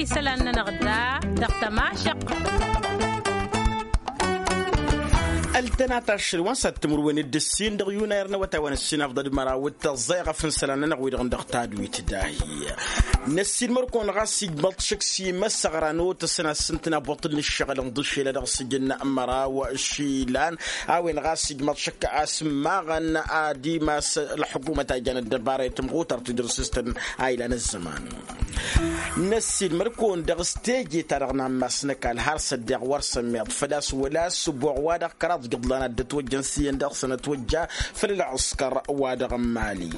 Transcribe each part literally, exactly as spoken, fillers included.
Isălan-nănăɣ da dăɣ-tămašăqq. Ăltănat ašăl wa n-sat timǝrwen d-ǝssin dăɣ-yunayăr n-awătay wa n-ǝssin afḍăd măraw d-tăẓẓayɣăf n-isălan-nănăɣ wi-dăɣ n-dăɣ tadwit dahi. Năssiinmăr-kăwăn ɣas ijmăḍ šăkk s-imăsăɣra n-otăsăn a-s ǝntăna buṭṭǝl n-ǝššăɣǝl n-iḍǝšel a dăɣ-sǝjǝn măraw išilan a-wen ɣas ijmăḍ šăkk a-s ǝmmaɣăn ad-imas ălḥukumăt a ijan ăddăbara i-tǝmɣutărt wi dăr-s s-tăn a ilan ăzzăman. Năssiinmăr-kăwăn dăɣ-s teje-ta-dăɣ n-ammas n-ăkall har s-ăddeɣ wăr sămmeḍ făl-a-s wăla ăssǝboɣ wa-dăɣ kăraḍ jăḍlan ad-dd-ătwăjjăn s-iyyăn dăɣ-săn ătwăjja făll-ălɣǝskăr wa-dăɣ n-mali.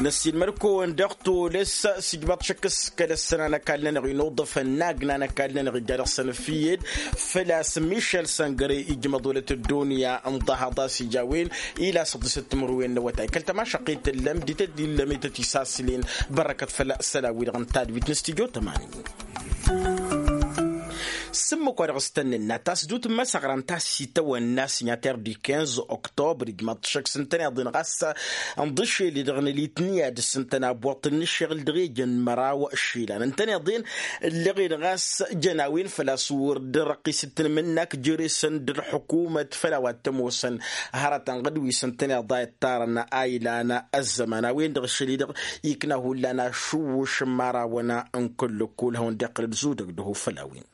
Năssiinmăr-kăwăn dăɣ-tolăs s-ijmăḍ šăkk s-kăl-ăssăna n-ăkall-nănăɣ inuḍăfăn n-agna n-ăkall-nănăɣ ija dăɣ-săn ăfiyed făl-a-s mišel săngăre ijmăḍ wălăt ăddunya n-ḍahaḍ a-s ija a-wen ila săḍisăt timǝrwen n-awătay kăl-tămašăqqit tǝllăm dităt d-illăm ităt isasǝlen. Bărrăkăt făll-isălan-wi-dăɣ n-tadwit n-stujo tămani. S-ǝmmǝk wa dăɣ-s tăn-nǝnna tasdut n-imăsăɣra n-tassităwăn n-asinyater di kinz oktobr ijmăḍ šăkk s-ǝntăneḍ-in ɣas ǝnḍǝšel-i-dăɣ n-elitniya d-s ǝntăna buṭṭǝl n-ǝššăɣǝl dăɣ-ejăn măraw išilan ǝntăneḍ-in ǝllăɣ-in ɣas jăn a-wen făl-a-s wăr dd-răqqis d-tanmǝnnak jere-săn d-ălḥukumăt făll-a-wa t-ămoosăn hărătăn ɣǝd wi s-ǝntăneḍ a ittarăn a ilan ăzzăman a-wen-dăɣ ašăl-i-dăɣ ikna hullan ašǝwwǝš n-imărawăn n-kăl-lăkkol hawăn-dd-iqqǝl d-zudăg d-ăho făll-a-wen.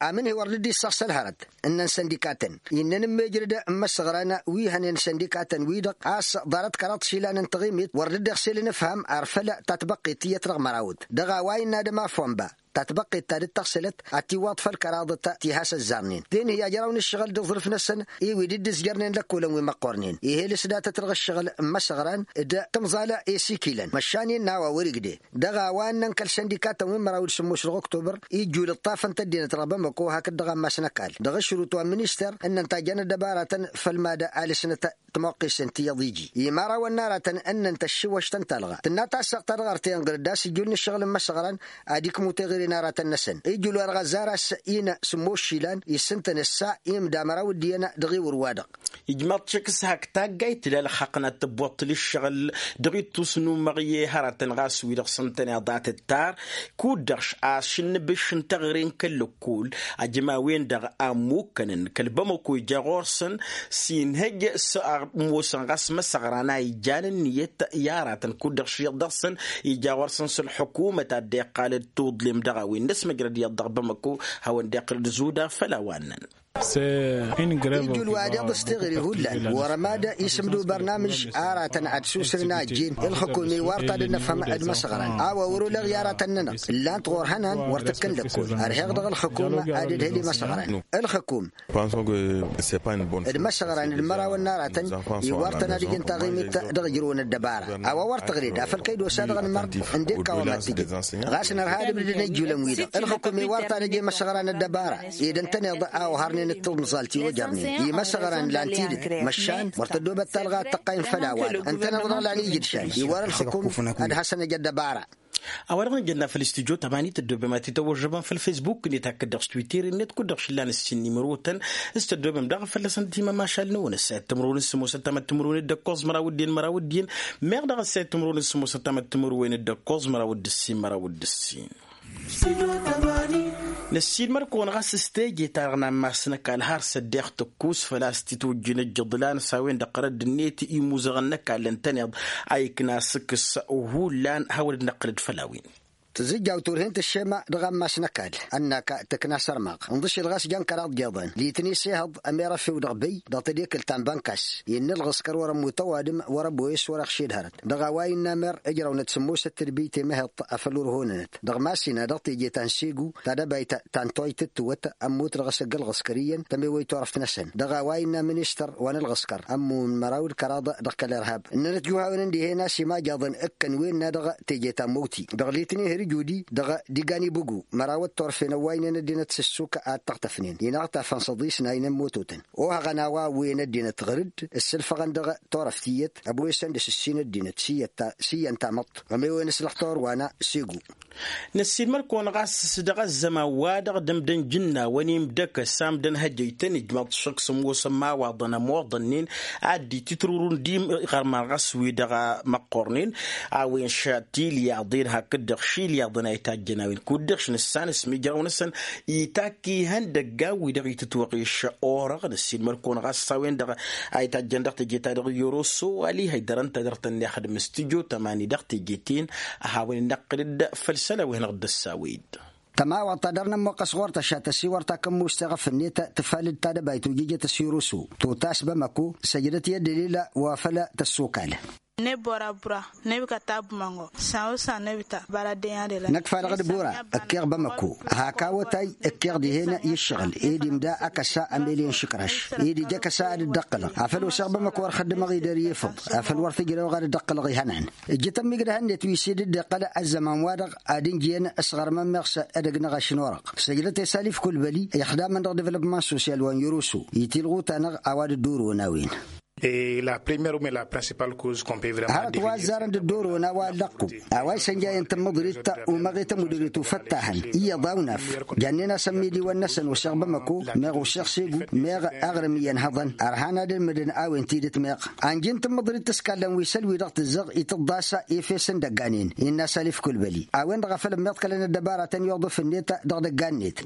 Amǝnhǝy wăr dd-issăɣsăl hărăt ǝnnăn săndikatăn innăn ǝmmejrăd n-imăsăɣran wi hănen săndikatăn-wi-dăɣ a-s ḍarăt kăraḍ išilan n-taɣimit wăr dd-iɣsel ǝnǝfham ar făl tatbăqqit tiyyăt dăɣ-mărawăt dăɣ-a-wa innă adăma fonba tatbăqqit ta dd-tăɣsǝlăt ad-tiwwaḍ făll-kăraḍăt ti has-ăzzarnen tenhǝy ajraw n-ǝššăɣǝl d-aẓrǝf-năsăn i-wi dd-ǝzjărnen lăkkolăn wi măqqornen ih'-e lăsdatăt dăɣ-ǝššăɣǝl n-imăsăɣran d-tǝmẓal i-sikilăn măšan innă a-wa wăr-igdeh dăɣ-a-wa ǝnnăn kăl-săndikatăn wi n-măraw d-sǝmmos dăɣ-oktobăr ijjul ǝṭṭafăn-t ăddinăt dăɣ-bamăko hakd dăɣ-ammas n-ăkall dăɣ-ašrut wa n-minister ǝnnăn ta jan ăddăbaratăn făll-mad-ălǝsnăt timoqqisen ti iyyăḍ iji i-imărawăn n-aratăn ǝnnăn tăššiwăš tăn-talɣa tǝnna tassăɣt ta dăɣ-artăyăn ɣǝr-dd a-s ijjul n-ǝššăɣǝl n-imăsăɣran ad-ikmǝw teɣăre n-aratăn-năsăn ijjul wa dăɣ-ăzzar a-s ină sǝmmos išilan issǝntăn ǝssa i-imda măraw d-iyyăn dăɣ-ewăr-wa-dăɣ. Ijmaḍ-t šăkk s-hak taggayt tǝla ǝlxaqq n-ad-tǝbbuṭṭǝl ǝššăɣǝl dăɣ-ittus n-umăɣye hărătăn ɣas wi-dăɣ s-ǝntăneḍ a tǝttar kud-dăɣ a-s šǝnnǝbǝš n-teɣăre n-kăl-lăkkol ajăm a-wen-dăɣ a ǝmmukkănăn kăl-bamăko ija ɣur-săn s-inhăj s-ămoosăn ɣas măsăɣran a ijan ǝnniyăt i-aratăn kud-dăɣ šǝyyăḍ dăɣ-săn ija ɣur-săn s-ălḥukumăt a dd-iqqal d-tuḍlem dăɣ-a-wen n-ăsmăjrăd iyyăḍ dăɣ-bamăko hawăn-dd-iqqǝl d-zuda făll-a-wa ǝnnăn. Ijul wa deḍ s-teɣăre hullan wăr-ămad isǝmdǝw bărnamǝj aratăn ad-susǝlăn a ăjjeen ǝlxǝkum iwar ta d-nǝfhăm d-imăsăɣran a-wa wăr-oleɣ i-aratăn-nănăɣ ǝllan-t ɣur-hănan wăr tǝkkǝn lăkkol ărheɣ dăɣ-ǝlxǝkum ad-ǝdhǝl imăsăɣran ǝlxǝkum d-imăsăɣran d-imărawăn n-aratăn iwar-tăn ad-ǝjǝn taɣimit dăɣ-ijrǝwăn ăddăbara a-wa wăr tăɣled afăl kăy-dd-osa dăɣ-nǝmăr ǝndek a-wa mad-tǝjǝd ɣas nărha ad-ǝbdǝdăn ijulăn-wi-dăɣ ǝlxǝkum iwar-tăn ad-ăj imăsăɣran ăddăbara ed ǝntăneḍ a ohărnen d-tiḍmẓalt i-ojărnen imăsăɣran lan tidǝt măšan wăr tăddoobăt talɣa ad-tăqqayǝn făll-a-wa-dăɣ ǝntăneḍ-dăɣ lan ijǝdšan iwar ǝlxǝkum ad-hasăn-ăj ăddăbara. A-wa-dăɣ n-ijănna făll-istudyo tămani tăddoobem ad-t-tăwwăžžăbăm făll-fesbuk-net hakd-dăɣ s-twitter-net kud-dăɣ šǝllan ǝssin n-imǝrotăn s-tăddoobem daɣ fălla-săn timămašal-năwăn ăssayăt timǝrwen s-sămoosăt tamăttimǝrwen d-ǝkkoẓ măraw d-dd-en măraw d-dd-en meɣ daɣ ăssayăt timǝrwen s-sămoosăt tamăttimǝrwen d-ǝkkoẓ măraw d-ǝssin măraw d-ǝssin. Năssiinmăr-kăwăn ɣas s-teje-ta-dăɣ n-ammas n-ăkall har s-ăddeɣ tǝkkus făl-a-s t-itwǝjjǝn ǝjjǝḍlan s-a-wen-dăɣ ɣărădd-net imuzăɣăn n-ăkall ǝntăneḍ a ikna sǝkkǝs hullan hawăn-dd-năqqǝlăd făll-a-wen. Tǝzǝjjaw turhen tǝššema dăɣ-ammas n-ăkall ănn-ak tǝkna sărmaɣ ǝnḍǝšel ɣas jan kăraḍ jeḍăn litni s-ehăḍ ămerăfew dăɣ-băy dăɣ-tedekǝlt ta n-bănkas innă ălɣǝskăr wăr-ămmut ăwadǝm wăr-ăboyăs wăr-iɣšed hărăt dăɣ-a-wa innă mer ǝjrăwnăt sǝmmosăt tǝdbǝy temăheḍt afăl wăr-honănăt dăɣ-mass-in-a dăɣ-teje ta n-segu ta d-ăbayt ta n-toy tǝttǝwăt ămmut dăɣ-s ăgg-ălɣǝskăr iyyăn tămewăy turăft-năsăn dăɣ-a-wa innă ministăr wa n-ălɣǝskăr ămmun măraw d-kăraḍ dăɣ-kăl-irhab ǝnnănăt juhawen ǝndihen a-s imajăḍăn ǝkkăn wen-na dăɣ-teje ta n-mowti dăɣ-litni hărjudi dăɣ-digani bugu măraw d-turăfen ăwwaynen ăddinăt s-ǝssuk ad-t-ăɣtăfnen inăɣtafăn s-ăḍis n-a inămmototăn ohăɣăn a-wa wen ăddinăt ɣăr-dd ǝssǝlfăɣăn dăɣ-turăft tiyyăt ăboyăsăn d-asǝssin ăddinăt s-iyyăn tamăḍt ămewen s-lăxtur wa n-asegu. Năssiinmăr-kăwăn ɣas s-dăɣ-ăzzăman-wa-dăɣ d-ǝmdăn jǝnnawăn imdăkăs amdăn hăjăy tăn-ijmăḍ šăkk s-ămoosăn imawaḍăn ămoḍănnen ad-dd-itǝtrǝwrǝwăn d-iɣărman ɣas wi-dăɣ măqqornen a-wen šăt ilyaḍen hakd-dăɣ šil Iyyăḍăn a itajjăn a-wen kud-dăɣ š-nǝssan s-mijraw-năsăn itakk ihăndăggan wi-dăɣ itǝtwăɣeš orăɣ. Năssiilmăr-kăwăn ɣas s-a-wen-dăɣ a itajjăn dăɣ-teje-ta-dăɣ n-yoroso. Alihăy dăr-ǝnta dăr-tăn-nexdǝm s-tǝjo tămani dăɣ-teje-ten a hawăn-in-năqqǝl-dd făll-isălan wi hanăɣ-dd-ăssawăy-dd. Tămawăḍt ta dăr-nămmoqqăs ɣur-tăšat ăsiwăr takămmust teɣăf-net tǝfalǝd tadăbayt ojejăt s-yoroso totas bamăko săjdăt i-ăddălila wa făl tăssokal. Nebora bura nebikăt ta bumăngo san-o-san nebita băla dăy-adăla. Năkk fadăɣ d-bura ǝkkeɣ bamăko hak awătay ǝkkeɣ dihen i-ǝššăɣǝl ed imda akăsa amelyăn šǝkraš ed ija akăsa ad-dd-ăqqǝlăɣ afăl oseɣ bamăko ărxăddămăɣ-i d-ăryefăḍ afăl wăr t-ǝjrăwăɣ ad-dd-ăqqǝlăɣ ihănan. Ǝjjǝtăn migrăhăn-net wi s-dd-iqqăl ăzzăman-wa-dăɣ ad-ǝnjǝyăn s-ɣărmăn meɣ s-edăgg n-aɣaš n-orăɣ săjdăt i-salif kulbăli ixdamăn dăɣ-devlopman sosyal wa n-yărusu itilɣuta-năɣ a-wa dd-ǝddurǝwăn a-wen. Hărăt wa ăzzarăn dd-ǝddurǝwăn a-wa ăllăqqu a-wa isănjayăn tǝmmǝḍrit umăɣ i-tămudărit ufăttahăn iyyăḍ a-wnaf. Jannen-asăn midiwăn-năsăn oseɣ bamăko meɣ oseɣ segu meɣ aɣrǝm iyyăn hăḍăn ărhan ad-ǝlmǝdăn a-wen tidǝt meɣ anjǝn tǝmmǝḍrit tǝskallăn wi săl-wi-dăɣ tǝzzăɣ itǝḍḍa s-efes n-idăggan-en innă salif kulbăli a-wen-dăɣ a făl ămmiḍkălăn ăddăbaratăn i-uḍǝf-net dăɣ-idăggan-net.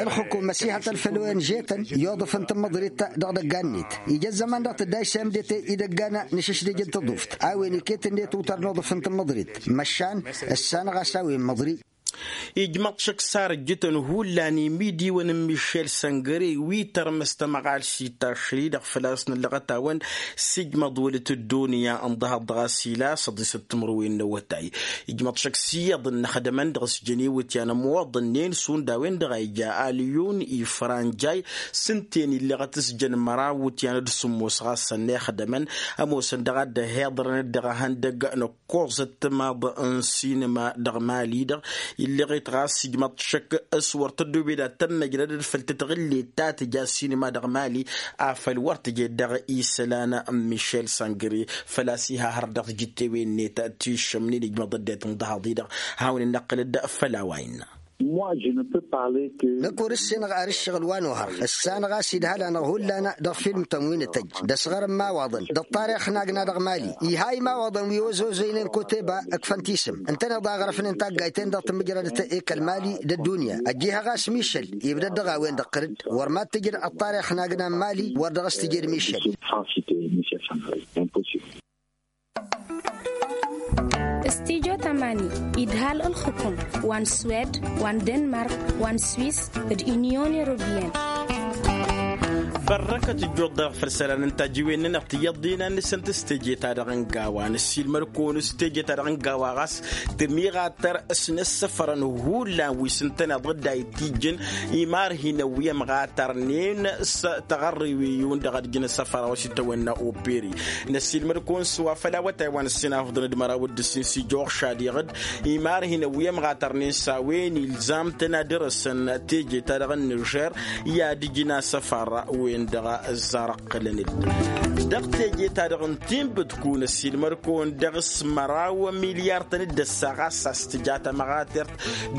Ǝlxǝkum ăsihătăl făll-onžetăn i-uḍǝf n-tǝmmǝḍrit dăɣ-idăggan-net ija ăzzăman dăɣ-tǝdday s-emdete idăggan n-ašǝšdǝj n-tǝḍuft a-wen iket-net utar n-uḍǝf n-tǝmmǝḍrit măšan ǝssanăɣ-as a-wen măḍri. Ijmăḍ šăkk s-arǝjjǝtăn hullan imidiwăn n-mišel săngăre wi tărmăs tamăɣalt s-itašri-dăɣ făl-a-s nǝllăɣăt-awăn s-ijmăḍ wălăt ăddunya ǝnḍăhăḍ dăɣ-asila s-ăḍisăt timǝrwen n-awătay. Ijmăḍ šăkk s-iyyăḍ ǝnnăxdămăn dăɣ-s jăn iwǝtyan ămwăḍăn-nen šund a-wen-dăɣ a ija alyon ifranjay s-ǝnta-en illăɣăt s-jăn măraw iwǝtyan d-sǝmmos ɣas ănnăyăxdămăn ămoosăn dăɣ-a dd-ăhiḍărăn d-dăɣ-ehăndăg n-ăkkoẓăt timaḍ n-sinǝma dăɣ-mali-dăɣ. Illăɣet ɣas ijmăḍ šăkk s-wăr tăddoobed ad-tămmăjrădăd făll-tătɣǝllet ta tǝja sinǝma dăɣ-mali afăl wăr tǝjed dăɣ-isălan n-mišel săngăre făl-a-s iha hărăt dăɣ-tijǝttewen-net tiššămnen ijmăḍ ăddinăt n-dăhaḍ-i-dăɣ. Hawăn-in-năqqǝlăd făll-a-wa innă. Năkk wăr ǝssinăɣ ar ǝššăɣǝl wa n-ohăr ǝssanăɣ a-s idhal-anăɣ hullan dăɣ-filmtăn wi nǝtăjj d-ăsɣărăn imawaḍăn d-ăṭṭarix n-agna dăɣ-mali. Iha imawaḍăn wi ozozăynen koteba ǝkfăn tisǝm ǝntăneḍ a ɣrăfnen taggayt-en-dăɣ tǝmmǝjrădăt i-kăl-mali d-ăddunya. Ăjjih a ɣas mišăl ibdăd dăɣ-a-wen-dăɣ tărǝd wăr mad-tǝjǝd ăṭṭarix n-agna n-mali wăr dăɣ-s tǝjed mišăl. S-tijo tămani idhal ǝlxǝkum wa n-swed wa n-denmark wa n-swiss d-inyon europiyăn. Bărrăkăt ǝjjuḍ-dăɣ făll-isălan n-tajiwen-nănăɣ tiyyăḍ d-inan-năsăn tǝstejeta-dăɣ n-gawa nǝssiilmăr-kăwăn s-tejeta-dăɣ n-gawa ɣas tǝmiɣatăr s-inǝssăfărăn hullan wi s-ǝntăneḍ dd-a itijjǝn imarhinăn wi ămɣatărnen s-taɣărriwen-dăɣ ad-ǝjǝn asăfăra wa s-itawănna operi. Năssiilmăd-kăwăn s-wa făll-awătay wa n-ǝssin afḍăn d-măraw d-ǝssin s-ija oɣšadiɣ-dd imarhinăn wi ămɣatărnen s-a-wen ilzam-tăn ad-dăr-săn teje-ta-dăɣ n-nižer i-ad-ǝjǝn asăfăra-wen-dăɣ ăzzarăɣ. Qqălăn-dd dăɣ-teje-ta-dăɣ n-tinbǝdku năssiilmăd-kăwăn dăɣ-s măraw milyar-tăn dd-ăssaɣ a-s a-s tǝja tamăɣatert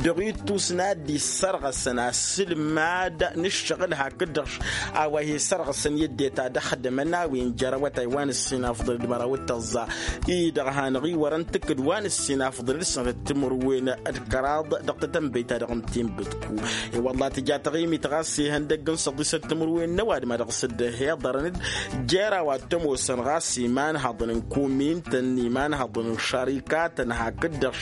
dăɣ-ittus n-ad-dd-issărɣăsăn asǝlmad n-ǝššăɣǝl hakd-dăɣ a-wa hi-sărɣăsăn i-ăddinăt ad-ăxdămăn a-wen jer-awătay wa n-ǝssin afḍăn d-măraw d-tăẓẓa-i-dăɣ hanăɣ-iwărăn tǝkkǝd wa n-ǝssin afḍăn d-sănătăt timǝrwen d-kăraḍ dăɣ-tatănbăyt-ta-dăɣ n-tinbǝdku. I-wălla tǝja taɣimit ɣas ihăndăgg n-săḍisăt timǝrwen n-ăwadǝm a dăɣ-s dd-ăhiḍărăn-dd jer-a-wa t-ămoosăn ɣas imanhăḍăn n-komintăn imanhăḍăn n-šarikatăn hakd-dăɣ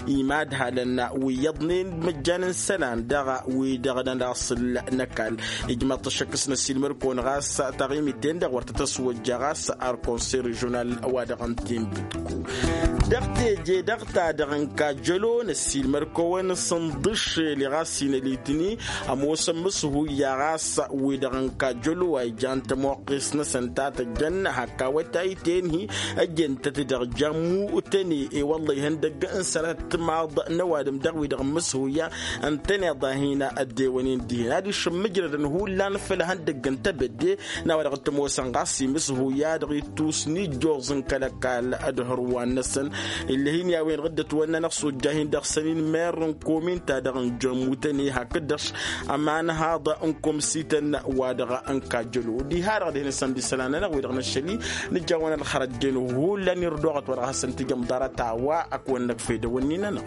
imadhalăn wi iyyăḍnen d-imăjjan n-isălan dăɣ-wi-dăɣ n-alasǝl n-ăkall. Ijmăḍ-t ăššăk s-năssiilmăd-kăwăn ɣas taɣimit-en-dăɣ wăr tăt-ăswăjja ɣas ălkonsey režional wa dăɣ-n tinbǝdku. Dăɣ-teje dăɣ-ta-dăɣ n-kajălo năssiilmăd-kăwăn s-ǝnḍǝššel i-ɣas inălitni ămoos ămmǝshuya ɣas wi-dăɣ n-kajălo a ijan tămoqqes-năsăn ta tăjjăn hak awătay tenhi ăjjentăt dăɣ-jammu tăne i-wălla ihăndăgg n-sănatăt timaḍ n-ăwadǝm dăɣ-wi-dăɣ ămmǝshuya ǝntăneḍ a hin-ăddewănen dihen ad-išǝmmǝjrădăn hullan făll-ihăndăgg n-tebădde n-a-wa dăɣ-t-ămoosăn ɣas imǝshuya dăɣ-ittus n-ijjoẓ n-kăl-ăkall d-hărwan-năsăn. Ill'-hin i-a-wen-dăɣ dd-ătwănna n-ăxsujja-hin-dăɣ săn-in merr n-kominta dăɣ-n jămmu tăn-i hakd-dăɣ ămanhaḍ n-komsităn wa dăɣ-n Kajjălu diha-dăɣ dihen-săn d-isălan-nănăɣ wi-dăɣ năššăl-i nǝjawăn ălxărăt-den hullan irduɣăt wa dăɣ-hasăn-tǝjăm ḍarăt a-wa ăkk-wăn-năkfăy dăwănni-nănăɣ.